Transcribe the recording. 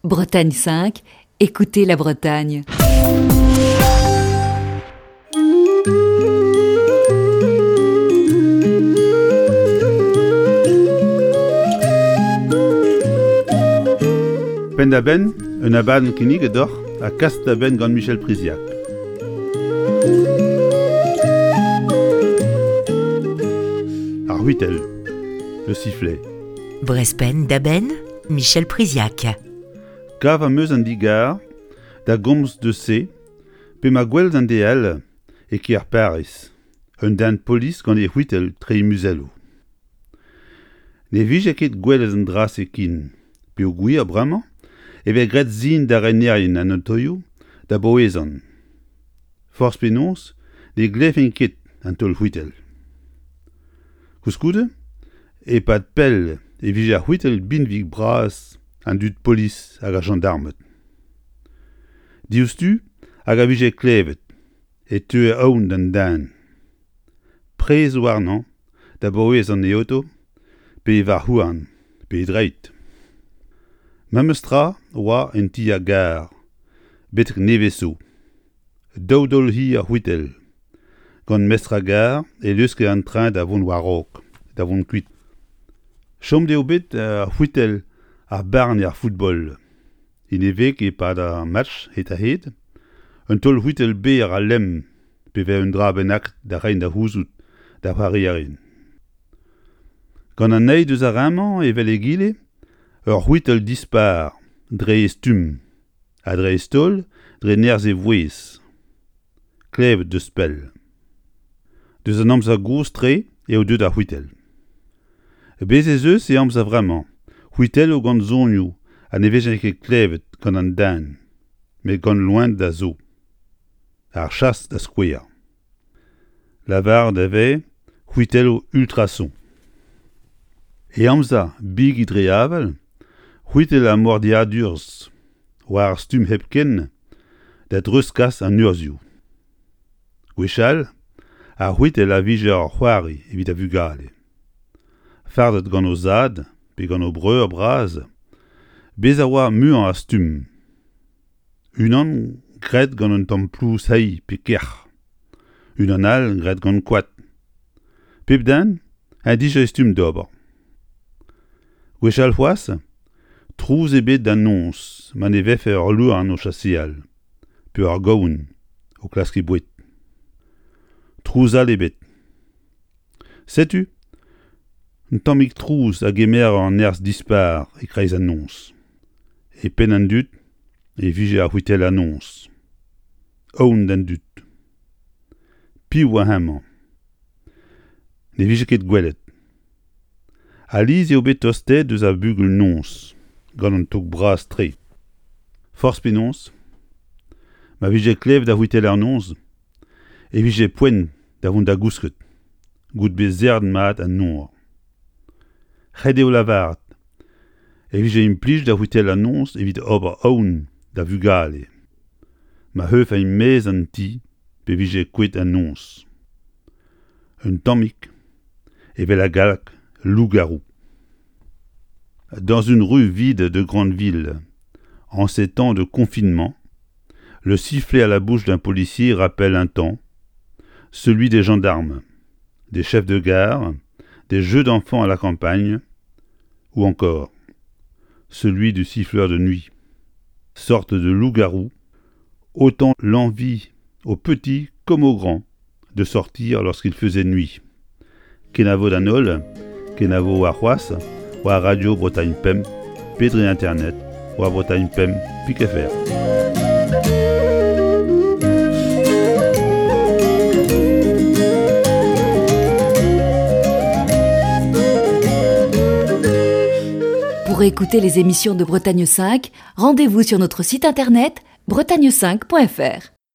Bretagne 5, écoutez la Bretagne. Penn-da-benn, un abadenn kinniget deoc'h ha kaset da benn gant Michel Priziac. Ar c'hwitell, le sifflet. Brest penn-da-benn, Michel Priziac. Kav am eus an digar da gomz deus se pe ma gwelet an DL e kêr Pariz, un den polis gant e c'hwitell tre e muzelloù. Ne vije ket gwelet an dra-se ken peogwir bremañ e vez graet sin da renerien an otoioù da baouezan. Forzh penaos ne glevfen ket an taol c'hwitell. Koulskoude, e-pad pell e vije ar c'hwitell binvig-bras an dud polis hag ar jañdarmed. Diouzhtu hag a vije klevet e teue aon d'an den. Prez warnañ da baouez an e oto pe e varc'h-houarn pe e dreid. Memes tra oa en ti ar gar betek nevez zo. Daou daol hir a c'hwitell. Gant mestr ar gar e leuske an treñ da vont war-raok, da vont kuit. Chomet eo bet ar c'hwitell ar barn er football. En e veg e-pad ar match hed-ha-hed, un taol c'hwitell berr ha lemm pe vez un dra bennak da reiñ da c'houzout d'ar c'hoarierien. Gant an eil deus ar re-mañ evel egile, ur c'hwitell dispar dre e stumm. Ha dreist-holl dre nerzh e vouezh. Klevet deus pell. Deus an amzer gozh-tre eo deuet ar c'hwitell. Bez' ez eus e amzer vremañ c'hwitelloù gant sonioù ha ne vezent ket klevet gant an den, met gant loened a zo. Ar chas da skouer. Lavaret e vez c'hwitelloù ultrason. E amzer bigi dre avel, c'hwitell ar mordiadurzh war ar stumm hepken da dreuzkas an urzhioù. Gwechall, ar c'hwitell a vije ur c'hoari evit ar vugale. Fardet gant o zad pe gant o breur bras, bez' a oa muiañ a stumm. Unan graet gant un tamm plouz heiz pe kerc'h, unan all graet gant koad. Pep den en dije e stumm d'ober. Gwechall c'hoazh, trouz ebet da noz ma ne vefe ul louarn o chaseal pe ur gaouenn o klask he boued. Trouz all ebet. Setu un tammig trouz a gemer ur nerzh dispar e-kreiz an noz. E penn an dud e vije ar c'hwitellañ-noz. Aon d'an dud. Piv oa hemañ? Ne vije ket gwelet. Alies eo bet tostaet eus ar bugel-noz gant an tog bras-tre. Forzh penaos, ma vije klevet ar c'hwiteller-noz e vije poent da vont da gousket, goude bet serret mat an nor. Ret eo lavaret e vije implijet ar c'hwitellañ-noz evit ober aon da vugale ma c'heufent e-maez an ti pe vije kouezhet an noz. Un tammig evel ar galleg loup-garou. Dans une rue vide de grande ville, en ces temps de confinement, le sifflet à la bouche d'un policier rappelle un temps, celui des gendarmes, des chefs de gare, des jeux d'enfants à la campagne, ou encore celui du siffleur de nuit, sorte de loup-garou, autant l'envie aux petits comme aux grands de sortir lorsqu'il faisait nuit. Kenavo d'an holl, kenavo warc'hoazh war Radio Bretagne Pemp pe dre internet war Bretagne Pemp pik fr. Pour écouter les émissions de Bretagne 5, rendez-vous sur notre site internet bretagne5.fr.